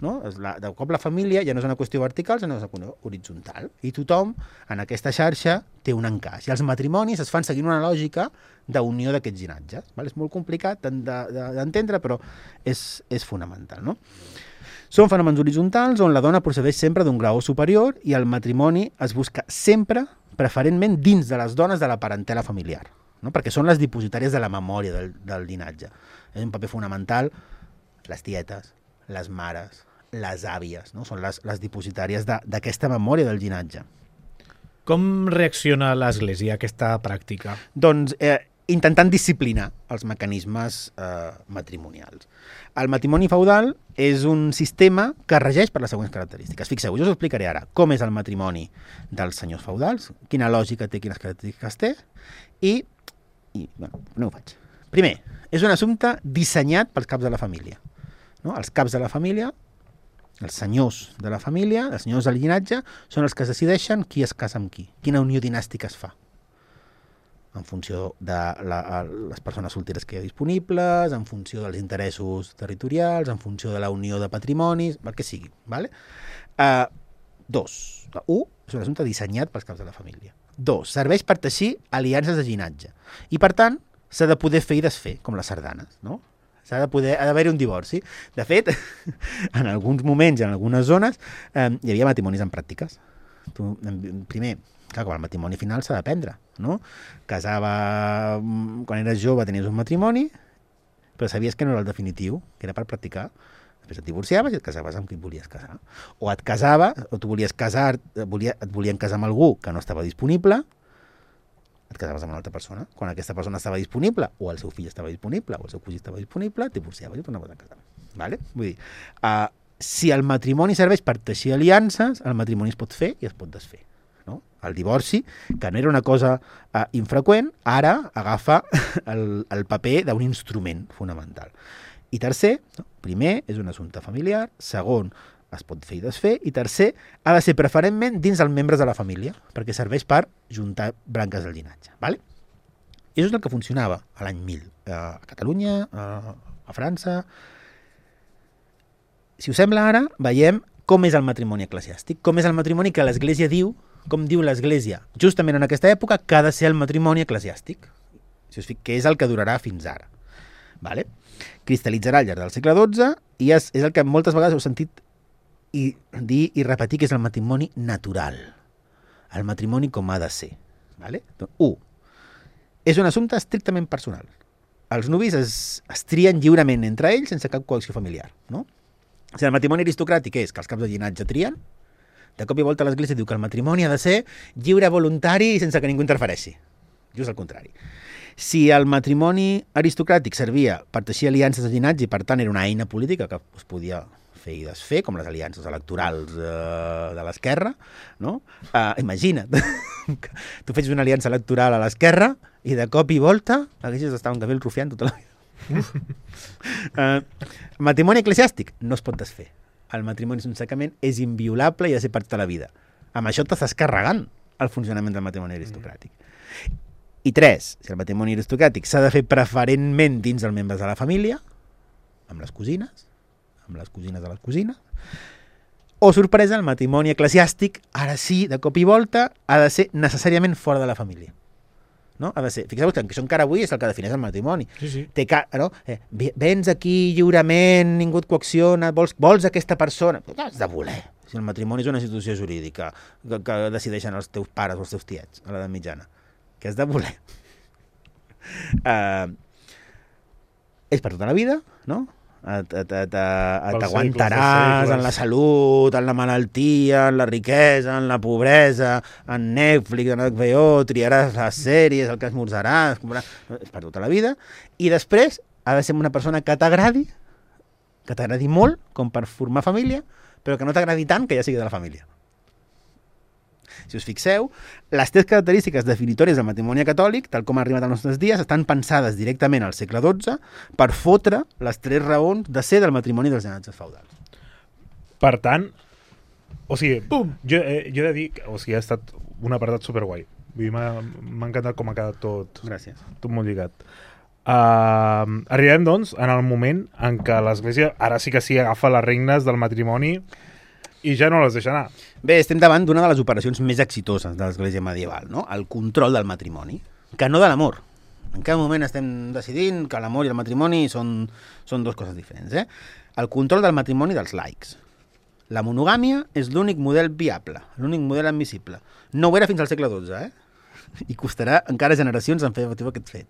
No? De cop la família ja no és una qüestió vertical, sinó és una qüestió horitzontal. I tothom en aquesta xarxa té un encaix. I els matrimonis es fan seguint una lògica d'unió d'aquests llinatges. És molt complicat d'entendre, però és fonamental. No? Són fenòmens horitzontals on la dona procedeix sempre d'un grau superior i el matrimoni es busca sempre, preferentment, dins de les dones de la parentela familiar. No? Perquè són les dipositàries de la memòria del llinatge. És un paper fonamental les tietes, les mares, les àvies, no? Són les dipositàries d'aquesta memòria del llinatge. Com reacciona l'Església a aquesta pràctica? Doncs intentant disciplinar els mecanismes matrimonials. El matrimoni feudal és un sistema que regeix per les següents característiques. Fixeu, jo us explicaré ara com és el matrimoni dels senyors feudals, quina lògica té, quines característiques té, i bueno, no ho faig. Primer, és un assumpte dissenyat pels caps de la família. No? Els caps de la família, els senyors de la família, els senyors del llinatge, són els que es decideixen qui es casa amb qui, quina unió dinàstica es fa, en funció de les persones solteres que hi ha disponibles, en funció dels interessos territorials, en funció de la unió de patrimonis, el que sigui. Vale? 2. 1. És un assumpte dissenyat pels caps de la família. 2. Serveix per teixir aliances de llinatge. I, per tant, s'ha de poder fer i desfer, com les sardanes, no? Ha d'haver-hi un divorci. De fet, en alguns moments, en algunes zones, hi havia matrimonis en pràctiques. Primer, clar, com el matrimoni final s'ha d'aprendre, no? Casava, quan eres jove tenies un matrimoni, però sabies que no era el definitiu, que era per practicar. Després et divorciaves i et casaves amb qui et volies casar. O et casaves, o tu volies casar, et volien casar amb algú que no estava disponible, et casaves amb una altra persona. Quan aquesta persona estava disponible, o el seu fill estava disponible, o el seu cosí estava disponible, et divorciaves i tornaves a casar. Vale? Vull dir, si el matrimoni serveix per teixir aliances, el matrimoni es pot fer i es pot desfer. No? El divorci, que no era una cosa infreqüent, ara agafa el paper d'un instrument fonamental. I tercer, primer, és un assumpte familiar, segon, es pot fer i desfer, i tercer, ha de ser preferentment dins dels membres de la família, perquè serveix per juntar branques del llinatge. Vale? I això és el que funcionava a l'any 1000, a Catalunya, a França. Si us sembla ara, veiem com és el matrimoni eclesiàstic, com és el matrimoni que l'Església diu, com diu l'Església, justament en aquesta època, que ha de ser el matrimoni eclesiàstic, que és el que durarà fins ara. Vale? Cristal·litzarà al llarg del segle XII i és el que moltes vegades heu sentit dir i repetir, que és el matrimoni natural. El matrimoni com ha de ser. Vale? 1. és un assumpte estrictament personal. Els nuvis es trien lliurement entre ells sense cap coacció familiar, no? O sigui, el matrimoni aristocràtic és que els caps de llinatge trien, de cop i volta l'Església diu que el matrimoni ha de ser lliure, voluntari i sense que ningú interfereixi. Just al contrari. Si el matrimoni aristocràtic servia per teixir aliances de llinatge i per tant era una eina política que es podia fer i desfer, com les aliances electorals de l'esquerra, no? Imagina't, tu fes una aliança electoral a l'esquerra i de cop i volta haguessis d'estar un Gabriel Rufián tota la vida. El matrimoni eclesiàstic no es pot desfer. El matrimoni és un sacrament, és inviolable i ha de ser per tota la vida. Amb això t'estàs carregant el funcionament del matrimoni aristocràtic. I 3, si el matrimoni aristocràtic s'ha de fer preferentment dins dels membres de la família, amb les cosines de les cosines, o sorpresa, el matrimoni eclesiàstic, ara sí, de cop i volta, ha de ser necessàriament fora de la família. No? Ha de ser. Fixeu-vos que això encara avui és el que defineix el matrimoni. Sí. No? Vens aquí lliurement, ningú et coacciona, vols aquesta persona. Què has de voler? Si el matrimoni és una institució jurídica que decideixen els teus pares o els teus tiets a l'edat mitjana. Què has de voler? És per tota la vida, no? T'aguantaràs en la salut, en la malaltia, en la riquesa, en la pobresa, en Netflix, en HBO, triaràs les sèries, el que esmorzaràs, és per tota la vida, i després ha de ser una persona que t'agradi molt, com per formar família, però que no t'agradi tant que ja sigui de la família. Si us fixeu, les 3 característiques definitòries del matrimoni catòlic, tal com ha arribat als nostres dies, estan pensades directament al segle XII per fotre les 3 raons de ser del matrimoni dels llinatges feudals. Per tant, o sigui, jo he de dir que ha estat un apartat superguai. M'ha encantat com ha quedat tot. Gràcies. Tot molt lligat. Arribem, doncs, en el moment en què l'Església ara sí que agafa les regnes del matrimoni i ja no les deixa anar. Bé, estem davant d'una de les operacions més exitoses de l'Església medieval, no? El control del matrimoni, que no de l'amor. En cada moment estem decidint que l'amor i el matrimoni són 2 coses diferents. El control del matrimoni dels laics. La monogàmia és l'únic model viable, l'únic model admissible. No ho era fins al segle XII, i costarà encara generacions en fer efectiu aquest fet.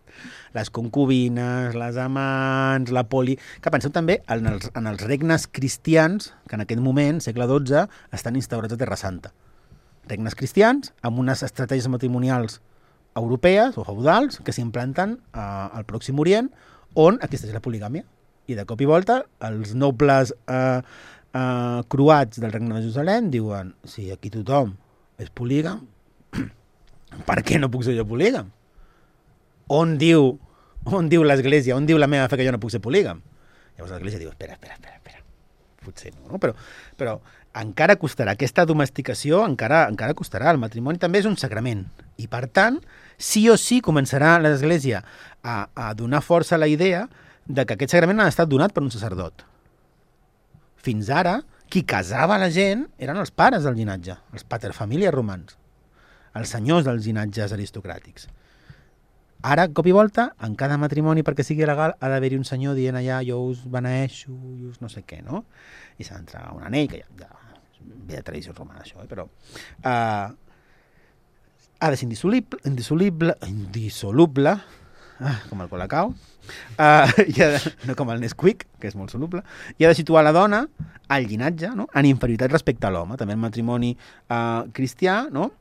Les concubines, les amants, la poli... Que penseu també en els regnes cristians, que en aquest moment, segle XII, estan instaurats a Terra Santa. Regnes cristians amb unes estratègies matrimonials europees o feudals que s'implanten al Pròxim Orient, on existeix la poligàmia. I de cop i volta, els nobles croats del regne de Jerusalem diuen: si aquí tothom és polígam, per què no puc ser jo polígam? On diu l'Església, on diu la meva fe que jo no puc ser polígam? Llavors l'Església diu, espera, potser no, però encara costarà, aquesta domesticació encara costarà, el matrimoni també és un sagrament, i per tant, sí o sí començarà l'Església a donar força a la idea de que aquest sagrament ha estat donat per un sacerdot. Fins ara, qui casava la gent eren els pares del llinatge, els paterfamilias romans, els senyors dels llinatges aristocràtics. Ara, cop i volta, en cada matrimoni, perquè sigui legal, ha d'haver-hi un senyor dient allà, jo us beneeixo, jo us no sé què, no? I s'ha d'entrar un anell, que ja ve de tradició romana, això, però ha de ser indissoluble, com el Colacao, no com el Nesquik, que és molt soluble, i ha de situar la dona al llinatge, no? En inferioritat respecte a l'home. També el matrimoni cristià, no?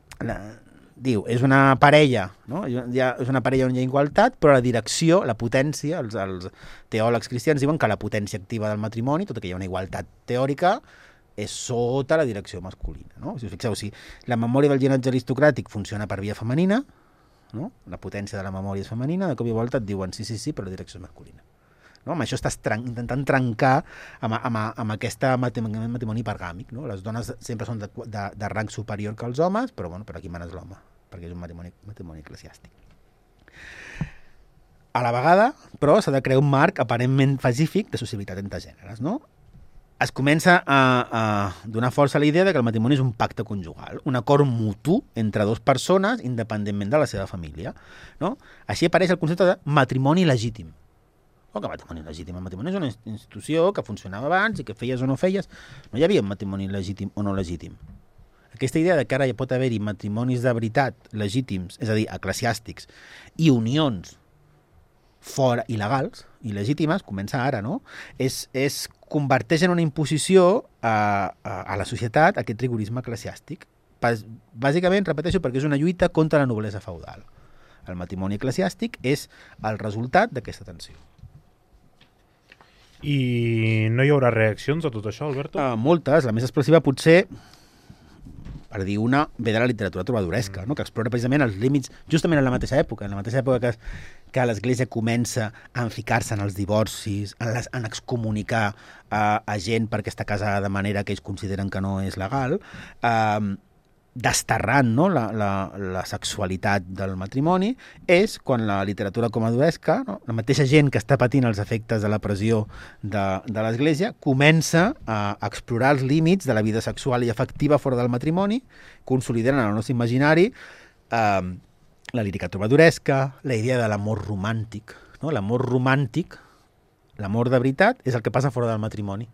Diu, és una parella, no? És una parella on hi ha igualtat, però la direcció, la potència, els teòlegs cristians diuen que la potència activa del matrimoni, tot i que hi ha una igualtat teòrica, és sota la direcció masculina, no? Si us fixeu, si la memòria del llinatge aristocràtic funciona per via femenina, no? La potència de la memòria és femenina, de cop i volta et diuen sí, però la direcció és masculina. No? Amb això estàs intentant trencar amb aquest matrimoni hipergàmic. No? Les dones sempre són de rang superior que els homes, però aquí manes l'home, perquè és un matrimoni eclesiàstic. A la vegada, però, s'ha de crear un marc aparentment pacífic de sociabilitat entre gèneres. No? Es comença a donar força a la idea de que el matrimoni és un pacte conjugal, un acord mutu entre 2 persones independentment de la seva família. No? Així apareix el concepte de matrimoni legítim. Que matrimoni legítim. El matrimoni és una institució que funcionava abans i que feies o no feies. No hi havia un matrimoni legítim o no legítim. Aquesta idea de que ara hi pot haver-hi matrimonis de veritat legítims, és a dir, eclesiàstics, i unions fora il·legals i legítimes, comença ara, no? Converteix en una imposició a la societat aquest rigorisme eclesiàstic. Bàsicament, repeteixo, perquè és una lluita contra la noblesa feudal. El matrimoni eclesiàstic és el resultat d'aquesta tensió. I no hi haurà reaccions a tot això, Alberto? Moltes. La més expressiva potser, per dir una, ve de la literatura trobadoresca, no? Que explora precisament els límits, justament en la mateixa època que l'Església comença a ficar-se en els divorcis, en excomunicar a gent perquè està casada de manera que ells consideren que no és legal, desterrant, no, la sexualitat del matrimoni, és quan la literatura comaduresca, no, la mateixa gent que està patint els efectes de la pressió de l'Església, comença a explorar els límits de la vida sexual i afectiva fora del matrimoni, consolidant en el nostre imaginari la lírica trobadoresca, la idea de l'amor romàntic. No? L'amor romàntic, l'amor de veritat, és el que passa fora del matrimoni.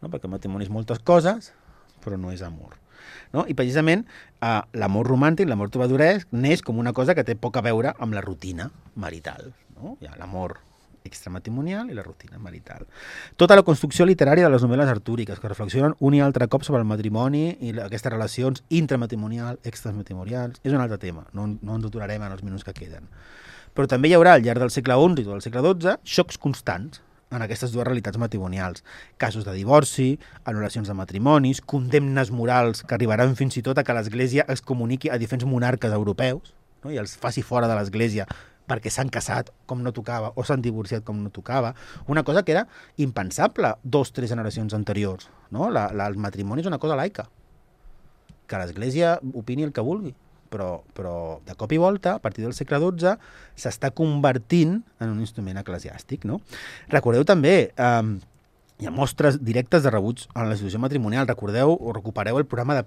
No? Perquè el matrimoni és moltes coses, però no és amor. No? I precisament l'amor romàntic, l'amor trobadoresc, neix com una cosa que té poc a veure amb la rutina marital. No? Hi ha l'amor extramatrimonial i la rutina marital. Tota la construcció literària de les novel·les artúriques, que reflexionen un i altre cop sobre el matrimoni i aquestes relacions intramatrimonials, extramatrimonials, és un altre tema, no ens aturarem en els minuts que queden. Però també hi haurà al llarg del segle XI i del segle XII xocs constants en aquestes dues realitats matrimonials. Casos de divorci, anul·lacions de matrimonis, condemnes morals que arribaran fins i tot a que l'Església es comuniqui a diferents monarques europeus, no? I els faci fora de l'Església perquè s'han casat com no tocava o s'han divorciat com no tocava. Una cosa que era impensable 2-3 generacions anteriors. No? El matrimoni és una cosa laica. Que l'Església opini el que vulgui. Però de cop i volta, a partir del segle XII, s'està convertint en un instrument eclesiàstic. No? Recordeu també, hi ha mostres directes de rebuig en la institució matrimonial. Recordeu o recupereu el programa de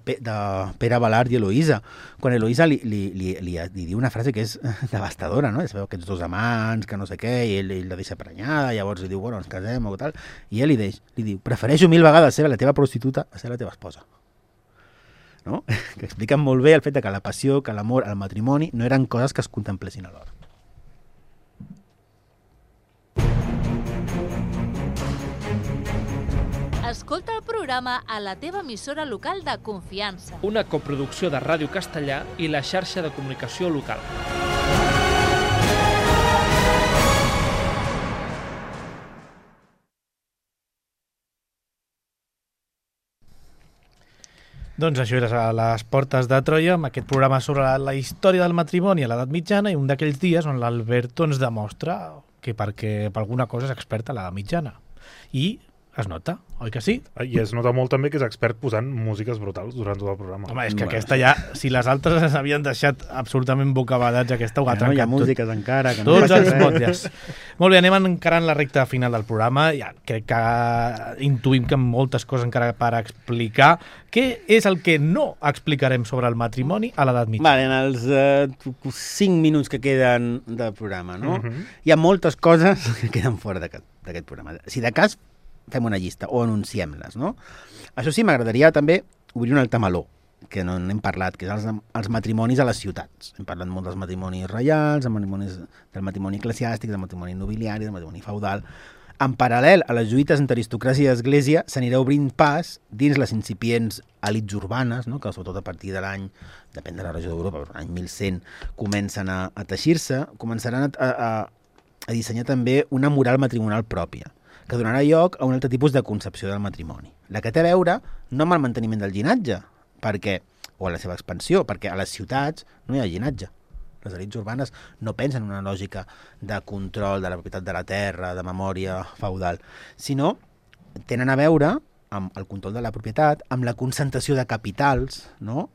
Pere Balart i Eloïsa, quan Eloïsa li diu una frase que és devastadora, no? Es veu aquests dos amants, que no sé què, i ell la deixa prenyada, llavors li diu, bueno, ens casem o tal, i ell li diu, prefereixo 1000 vegades ser la teva prostituta a ser la teva esposa. No? Que expliquen molt bé el fet que la passió, que l'amor, el matrimoni no eren coses que es contemplessin alhora. Escolta el programa a la teva emissora local de confiança. Una coproducció de Ràdio Castellà i la xarxa de comunicació local. Doncs això era a les portes de Troia, amb aquest programa sobre la història del matrimoni a l'edat mitjana i un d'aquells dies on l'Alberto ens demostra que perquè per alguna cosa és expert a l'edat mitjana. I es nota, oi que sí? I es nota molt també que és expert posant músiques brutals durant tot el programa. Home, és que aquesta ja, si les altres s'havien deixat absolutament bocabadats, aquesta ho ha trencat tot. Hi ha músiques encara. Que tots els motlles. Molt bé, anem encarant la recta final del programa. Ja crec que intuïm que moltes coses encara per explicar. Què és el que no explicarem sobre el matrimoni a l'edat mitjana? Vale, en els 5 minuts que queden del programa, no? Hi ha moltes coses que queden fora d'aquest programa. Si de cas, fem una llista o anunciem-les, no? Això sí, m'agradaria també obrir un altre meló, que no n'hem parlat, que és els matrimonis a les ciutats. Hem parlat molt dels matrimonis reials, del matrimoni eclesiàstic, del matrimoni nobiliari, del matrimoni feudal. En paral·lel a les lluites entre aristocràcia i església, s'anirà obrint pas dins les incipients elits urbanes, no? Que sobretot a partir de l'any, depèn de la regió d'Europa, però l'any 1100 comencen a teixir-se, començaran a dissenyar també una moral matrimonial pròpia, que donarà lloc a un altre tipus de concepció del matrimoni. La que té a veure no amb el manteniment del llinatge, o a la seva expansió, perquè a les ciutats no hi ha llinatge. Les elits urbanes no pensen en una lògica de control de la propietat de la terra, de memòria feudal, sinó tenen a veure amb el control de la propietat, amb la concentració de capitals, no?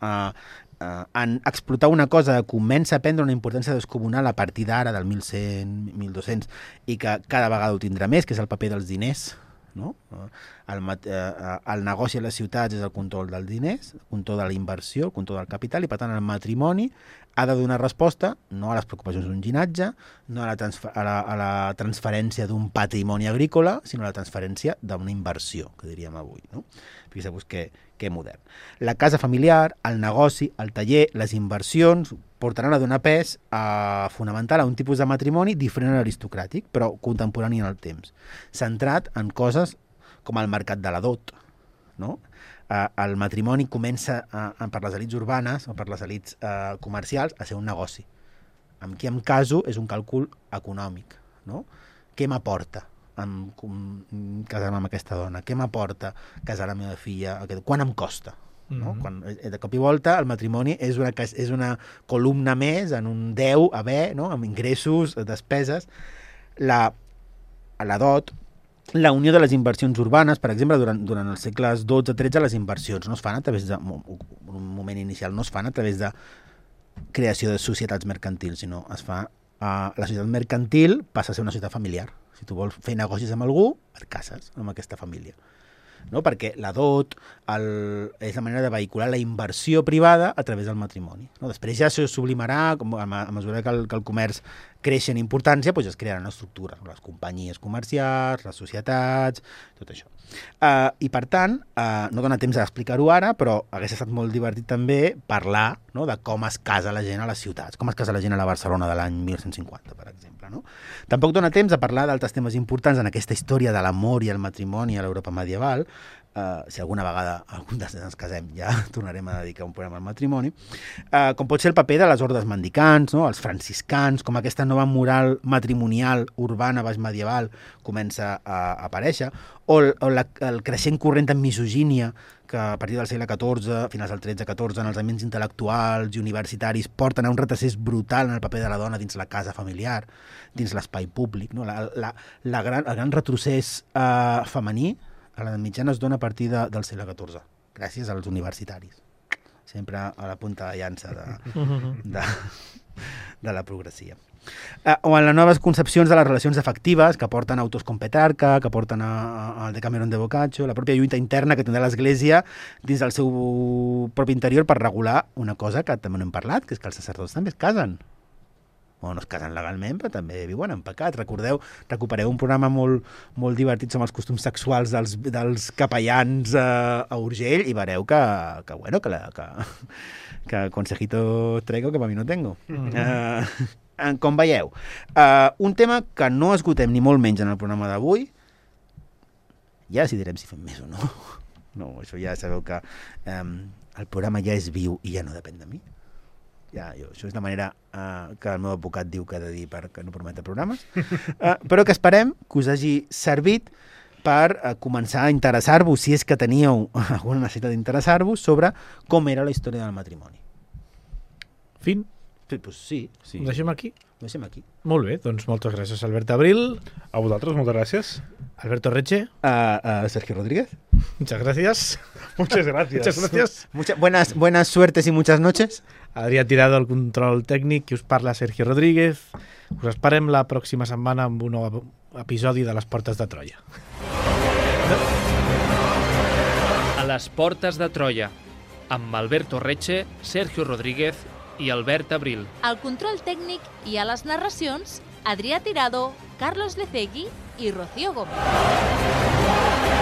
En explotar una cosa que comença a prendre una importància descomunal a partir d'ara, del 1100, 1200, i que cada vegada ho tindrà més, que és el paper dels diners, no? el negoci a les ciutats és el control dels diners, el control de la inversió, el control del capital, i per tant el matrimoni ha de donar resposta no a les preocupacions d'un ginatge, no a la transferència d'un patrimoni agrícola, sinó a la transferència d'una inversió, que diríem avui. No? Fixeu-vos que modern. La casa familiar, el negoci, el taller, les inversions portaran a donar pes fonamental a un tipus de matrimoni diferent a l'aristocràtic, però contemporani en el temps, centrat en coses com el mercat de la dot. No? El matrimoni comença per les elits urbanes o per les elits comercials a ser un negoci. Amb qui em caso és un càlcul econòmic. No? Què m'aporta casar-me amb aquesta dona? Què m'aporta casar la meva filla? Quan em costa? No? De cop i volta el matrimoni és una columna més en un deu haver, no? Amb ingressos, despeses. La dot, la unió de les inversions urbanes, per exemple, durant els segles XII-XIII, les inversions no es fan a través de, en un moment inicial, no es fan a través de creació de societats mercantils, sinó es fa la societat mercantil passa a ser una societat familiar. Si tu vols fer negocis amb algú, et cases amb aquesta família. No? Perquè la dot és la manera de vehicular la inversió privada a través del matrimoni. No? Després ja se sublimarà, a mesura que el comerç creix en importància, doncs es crearan estructures, les companyies comercials, les societats, tot això. I per tant, no dona temps d'explicar-ho ara, però hagués estat molt divertit també parlar, no, de com es casa la gent a les ciutats, com es casa la gent a la Barcelona de l'any 1150, per exemple. No? Tampoc dona temps de parlar d'altres temes importants en aquesta història de l'amor i el matrimoni a l'Europa medieval. Si alguna vegada algun dels ens casem ja tornarem a dedicar un programa al matrimoni, com pot ser el paper de les ordes mendicants, no? Els franciscans, com aquesta nova moral matrimonial urbana baix medieval comença a aparèixer, o el creixent corrent de misogínia que a partir del segle XIV, finals del XIII-XIV, en els ambients intel·lectuals i universitaris porten a un retrocés brutal en el paper de la dona dins la casa familiar, dins l'espai públic. No? El gran retrocés femení a l'edat mitjana es dona a partir del segle XIV, gràcies als universitaris. Sempre a la punta de llança de la progressia. O en les noves concepcions de les relacions afectives que porten autors com Petrarca, que porten al Decameron de Boccaccio, la pròpia lluita interna que tindrà l'Església dins del seu propi interior per regular una cosa que també no hem parlat, que és que els sacerdots també es casen. O no es casen legalment, però també viuen en pecat. Recupereu un programa molt divertit sobre els costums sexuals dels capellans a Urgell i veureu que consejito traigo que para mí no tengo. Com veieu, un tema que no esgotem ni molt menys en el programa d'avui, ja decidirem si fem més o no. No, això ja sabeu que el programa ja és viu i ja no depèn de mi. Això és la manera que el meu advocat diu que ha de dir perquè no prometa programes, però que esperem que us hagi servit per començar a interessar-vos, si és que teníeu alguna necessitat d'interessar-vos, sobre com era la història del matrimoni. Fin? Pues sí. Ho deixem aquí? Ho deixem aquí. Molt bé, doncs moltes gràcies, Albert Abril. A vosaltres, moltes gràcies. Alberto Reche. Sergio Rodríguez. Muchas gracias. Muchas gracias. Buenas suertes y muchas noches. Adrià Tirado al control tècnic, qui us parla Sergio Rodríguez. Us esperem la pròxima setmana amb un nou episodi de Les Portes de Troia. A les Portes de Troia, amb Alberto Reche, Sergio Rodríguez i Albert Abril. Al control tècnic i a les narracions, Adrià Tirado, Carlos Lecegui i Rocío Gómez.